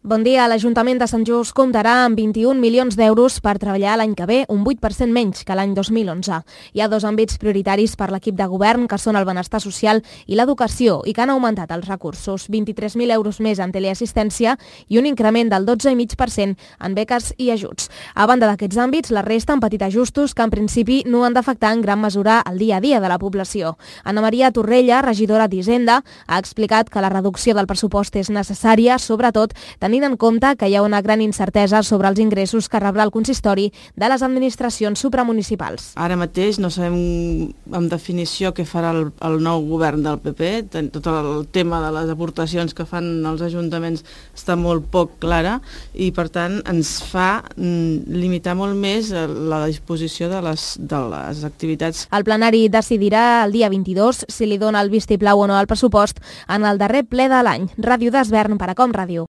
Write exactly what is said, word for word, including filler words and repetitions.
Bon dia. L'Ajuntament de Sant Just comptarà amb vint-i-un milions d'euros per treballar l'any que ve, un vuit per cent menys que l'any dos mil onze. Hi ha dos àmbits prioritaris per l'equip de govern, que són el benestar social i l'educació, i que han augmentat els recursos, vint-i-tres mil euros més en teleassistència i un increment del dotze coma cinc per cent en beques i ajuts. A banda d'aquests àmbits, la resta han patit ajustos que en principi no han d'afectar en gran mesura el dia a dia de la població. Anna Maria Torrella, regidora d'Hisenda, ha explicat que la reducció del pressupost és necessària, sobretot tenint en compte que hi ha una gran incertesa sobre els ingressos que rebrà el consistori de les administracions supramunicipals. Ara mateix no sabem amb definició què farà el, el nou govern del P P. Tot el tema de les aportacions que fan els ajuntaments està molt poc clara i, per tant, ens fa mm, limitar molt més la disposició de les, de les activitats. El plenari decidirà el dia vint-i-dos si li dona el vistiplau o no al pressupost en el darrer ple de l'any. Ràdio d'Esvern per a Com Ràdio.